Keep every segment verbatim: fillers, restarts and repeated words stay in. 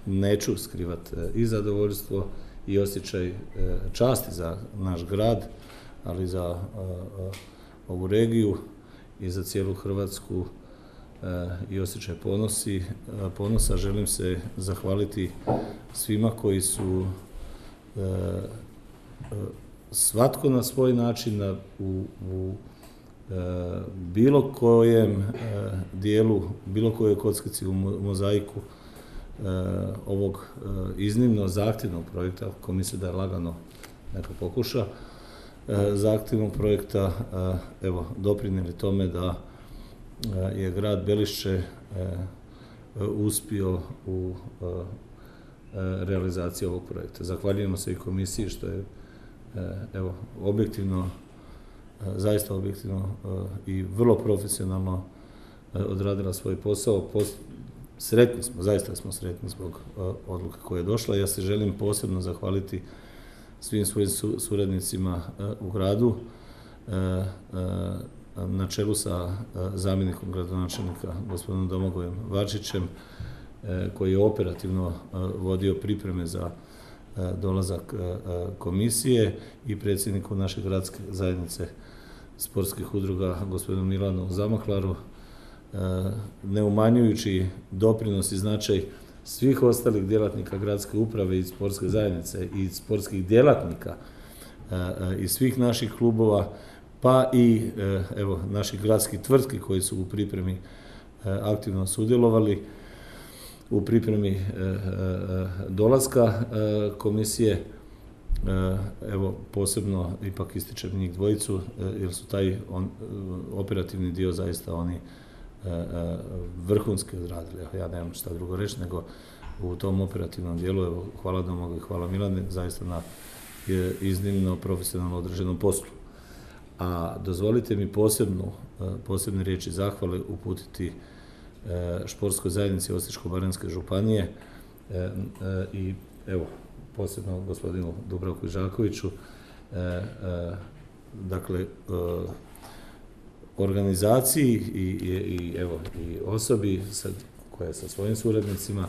neću skrivati i zadovoljstvo i osjećaj časti za naš grad, ali za ovu regiju i za cijelu Hrvatsku i osjećaj ponosi, ponosa. Želim se zahvaliti svima koji su svatko na svoj način na, u, u bilo kojem dijelu, bilo kojoj kockici u mozaiku ovog iznimno zahtjevnog projekta, ko misli da je lagano, neka pokuša, zahtjevnog projekta, evo, doprinijeli tome da je grad Belišće uspio u realizaciji ovog projekta. Zahvaljujemo se i komisiji što je, evo, objektivno, zaista objektivno i vrlo profesionalno odradila svoj posao. Sretni smo, zaista smo sretni zbog odluke koja je došla. Ja se želim posebno zahvaliti svim svojim suradnicima u gradu, na čelu sa zamjenikom gradonačelnika, gospodinom Domagojem Varčićem, koji je operativno vodio pripreme za dolazak komisije, i predsjedniku naše gradske zajednice sportskih udruga, gospodinu Milanu Zamahlaru, ne umanjujući doprinos i značaj svih ostalih djelatnika gradske uprave i sportske zajednice i sportskih djelatnika i svih naših klubova, pa i evo, naših gradskih tvrtki koji su u pripremi aktivno sudjelovali u pripremi dolaska komisije. Evo, posebno ipak ističem njih dvojicu, jer su taj on, operativni dio zaista oni vrhunski odradili. Ja nemam šta drugo reći, nego u tom operativnom dijelu, evo, hvala Domagoju i hvala Milane, zaista na iznimno profesionalno određenom poslu. A dozvolite mi posebnu, posebne riječi zahvale uputiti športskoj zajednici Osječko-baranjske županije i evo, posebno gospodinu Dubravku Žakoviću, dakle, organizaciji i, i, i, evo, i osobi sad, koja je sa svojim suradnicima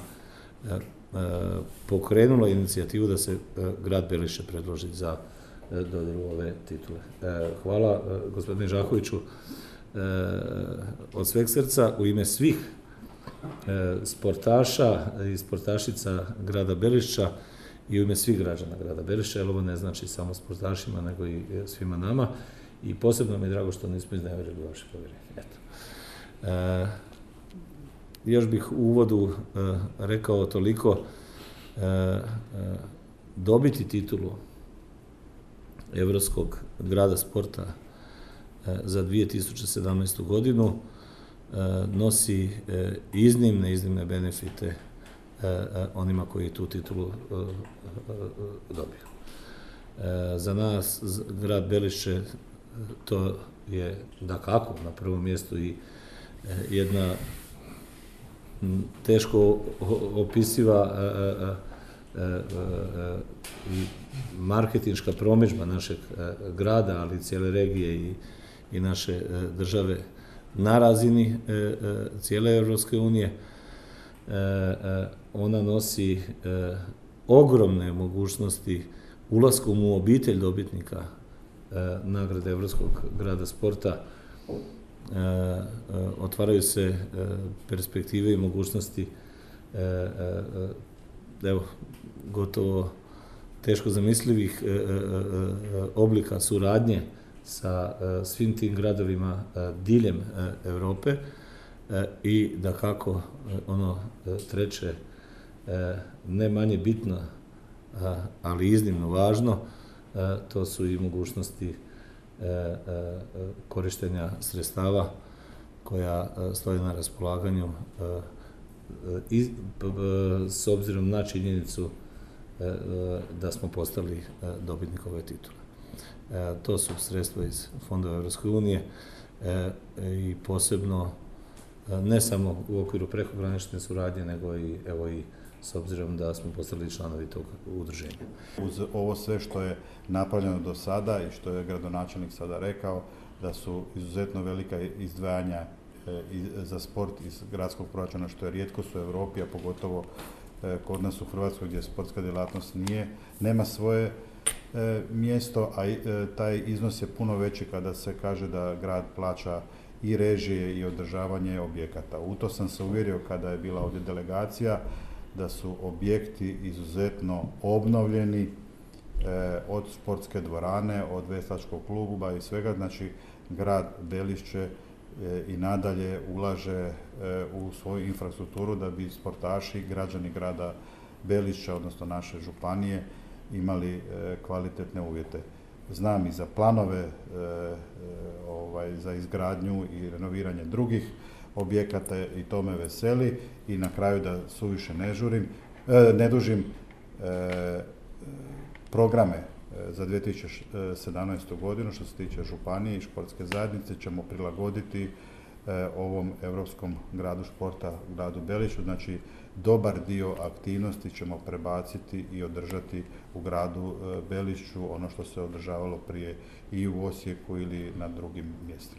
pokrenula inicijativu da se grad Belišće predloži za dodjelu ove titule. Hvala gospodine Žakoviću od sveg srca u ime svih sportaša i sportašica grada Belišća i u ime svih građana grada Belišća, jer ovo ne znači samo sportašima, nego i svima nama. I posebno mi je drago što nismo iznevjerili vaše povjerenje. Eto. E, još bih u uvodu e, rekao toliko, e, e, dobiti titulu Europskog grada sporta e, za dvije tisuće sedamnaestu. godinu e, nosi e, iznimne, iznimne benefite e, e, onima koji tu titulu e, e, dobiju. E, za nas, grad Belišće, to je dakako na prvom mjestu i jedna teško opisiva i marketinška promidžba našeg grada, ali i cijele regije i, i naše države na razini cijele Europske unije. Ona nosi ogromne mogućnosti ulaskom u obitelj dobitnika nagrade Europskog grada sporta. Otvaraju se perspektive i mogućnosti, evo, gotovo teško zamislivih oblika suradnje sa svim tim gradovima diljem Europe. I dakako, ono treće, ne manje bitno, ali iznimno važno, to su i mogućnosti korištenja sredstava koja stoje na raspolaganju i s obzirom na činjenicu da smo postali dobitnik ove titule. To su sredstva iz fondova Europske unije i posebno ne samo u okviru prekogranične suradnje, nego i, evo, i s obzirom da smo postali članovi tog udruženja. Uz ovo sve što je napravljeno do sada i što je gradonačelnik sada rekao, da su izuzetno velika izdvajanja za sport iz gradskog proračuna, što je rijetkost u Europi, a pogotovo kod nas u Hrvatskoj gdje sportska djelatnost nije, nema svoje mjesto, a taj iznos je puno veći kada se kaže da grad plaća i režije i održavanje objekata. U to sam se uvjerio kada je bila ovdje delegacija, da su objekti izuzetno obnovljeni, od sportske dvorane, od veslačkog kluba i svega. Znači, grad Belišće i nadalje ulaže u svoju infrastrukturu da bi sportaši, građani grada Belišća, odnosno naše županije, imali kvalitetne uvjete. Znam i za planove ovaj, za izgradnju i renoviranje drugih objekata i to me veseli. I na kraju, da suviše ne žurim, ne dužim, programe za dvije tisuće sedamnaestu. godinu što se tiče županije i športske zajednice ćemo prilagoditi ovom europskom gradu športa, gradu Belišću. Znači, dobar dio aktivnosti ćemo prebaciti i održati u gradu Belišću, ono što se održavalo prije i u Osijeku ili na drugim mjestima.